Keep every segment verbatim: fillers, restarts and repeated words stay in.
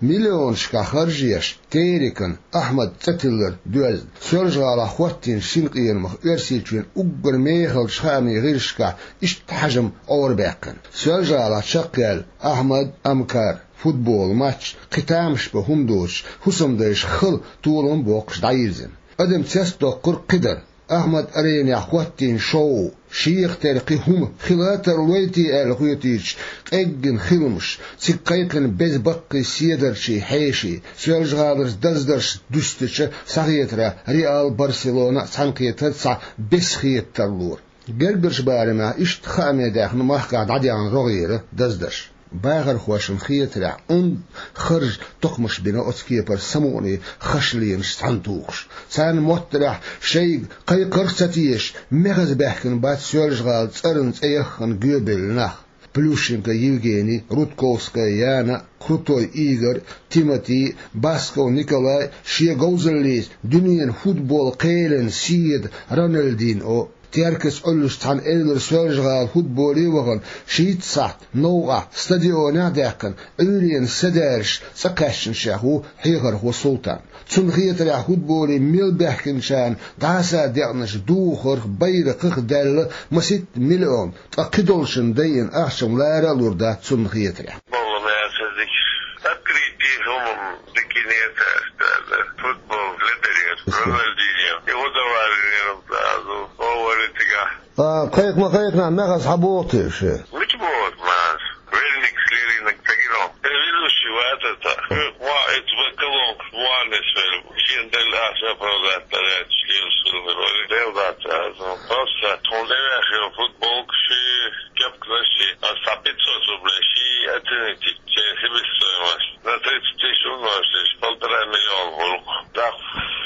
Миллионашкахь харжеш, Терекан Ахьмадан цӀе тиллар доьзна, Соьлжа-ГӀалахь хӀоттийначу синкъерамах Оьрсийчоьнан уггар мехалчу хаамийн гӀирсашкахь иштта хьажам Ӏорабаьккхина. Соьлжа-ГӀалахь чекхъяьлла Ахьмад, Амкар футбол матч кхин тамаш бан хӀума доцуш, хӀусамдайша хала толам а боккхуш дӀайирзина. Адам цецдоккхург кхин дара. Ахьмад-Аренехь хӀоттийна шоу, шех тера кхин хӀума хила а тарлой те аьлла хетийча, къеггина хиламаш, цига кхайкхина беза баккхий седарчий хьеший, Соьлжа-ГӀаларчу даздаршца дуьстича, схьахетарехь, Реал, Барселона а цхьаьнакхетар цхьа бесхета тарлора. Гергарчу барамехь иштта хааме даьхна махкахь дӀадаьхна рогӀера даздарш. Бахархошна хетарехь, онда харжа токхамаш бина оцу кепара самукъане хашленаш цхьаьнатухуш. Царна моттарехь, шайга кхайкхарх а ца тешаш, мехаза баьхкина бац Соьлжа-ГӀалин цӀарна цӀе яххана гоьбевлла нах. Плющенко Евгений, Рудковская Яна, Крутой Игорь, Тимати, Басков Николай шен говзаллица дуьненан футбол кхелан седа Роналдиньо. Теркаца Ӏуьллуш цхьана элира Соьлжа-ГӀала футболе а вахана, шийтта сахьт новкъахь стадионехь а даьккхина, Ӏуьйренан са даьржаш цӀа кхаьчначех ву хьехархо Султан. Цунна хетарехь, футболе мел баьхкинчарна дӀаса декъначу духарх, байракхах а даьлла масийтта миллион, ткъа кхидолчунна дайина ахча-м лара а лур дац цунна хетарехь. Болу маьрша дика. Открытие хӀумам дикине а цаьрца аьлла. Футбол ледарера. Роналдиньо. И удовольствие азу. Овали цигахь. А, кхайкха ма кхайкхинехь, мехаза хьабоху те ше? Мича боху мас? Веллингс леринарг ца гина. Э, ведущий вац аса. Э, ма, эцу баккалонка ваннес велла. Шен делла аса оправдать лаьтташ лелаш хилла вара. Дел дац аса. Просто тхуна тӀеваьхна футболкаш, кепканаш, аса пятьсот рублей ши оценить. Чей себестоимость на тридцать тысяч умножить, полтора миллиона гӀуллакх. Да,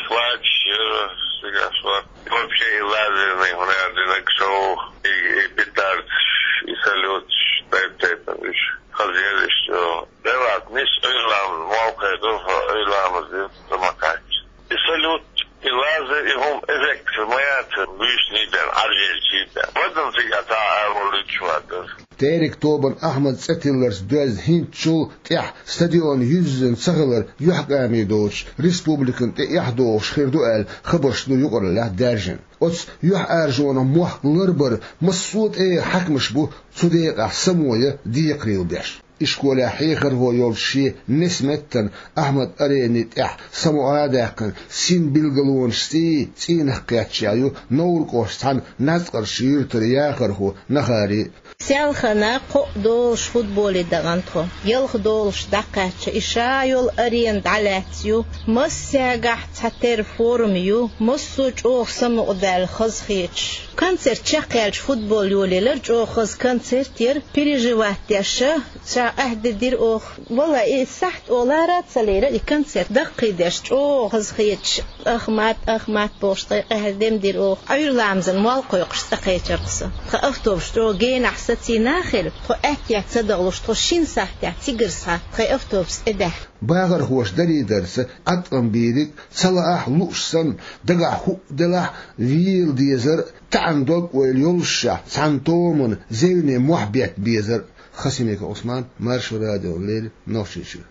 хватит, э, сега шла. Вообще и лазерный, хӀунда аьлча динарг шоу, и, и петардаш, и салюташ, тайп-тайпана уьш. Хазъеллаш, э, деват, мис Ӏуьйра ламаз, молкхе ду, Ӏуьйра ламаз ду, ца ма кхаьчча. И салют, и лазер, и хӀума эффект ма яц, буьйсанний бен, Ӏаржъелчий бен. Вадалла цига а цхьа а волуьйтуш вацара. Терек тобанан Ахьмадан цӀе тилларца доьзна хӀинцачул тӀаьхьа стадион юьззина ца хилар юьхькӀаме доцуш, республикана тӀе эхь дохуш хир ду аьлла, хабарш ду юкъараллехь даьржина. Оцу юьхьӀаьржонах мохк ларбар массо а тӀегӀан хьаькамаш бу цу декъехь само ян декхарийла беш. Ишколехь хьехархо йолчу шен несметтан Ахьмад-Арени тӀехь самукъа а даьккхина, синбилгалонаш цӀий цӀийнах кхеттачех ю Новр-кӀоштан цхьана Нацкъарчу юьртара яхархо Нахари. Селхана кхоъ долуш футболе дахана тхо. Ялх долуш дӀакхаьчча, и ша йолу арена дӀалаьцна ю. Массаьргахь цхьа тера форма ю, массо а чӀогӀа самукъадаьлла, хазахеташ. Концерт чекхъяьлча футбол йолаелира, чӀогӀа хаза концерт яра, переживать деш а, ша къаьхьа дедира оха. Валла, и сахьт олара а ца лерира, и концерт даккхийдеш, чӀогӀа хазахеташ. Ахмат, Ахмат бохуш, тхайн къаьхьа дем дира оха. Ӏуьйра ламазан молла кхойкхуш цӀа кхечира-кх со. Тхан автобус чӀогӀа генахь сацийна а хилла, тхо аьттехьа ца дахлуш, тхо шина сахьтехь цигара схьа тхайн автобус тӀе даьхна. Бахархоша дарийдарца, Ӏаткъам бийриг, ца лаахь, лууш санна, дагахь хӀуъа делахь, вела дезар, таьӀна дог-ойла йоллушехь, цхьана томана зевне мохь бетта безар. Хасимиков Ӏусман, Маршо радиона леррина, Нохчийчуьра.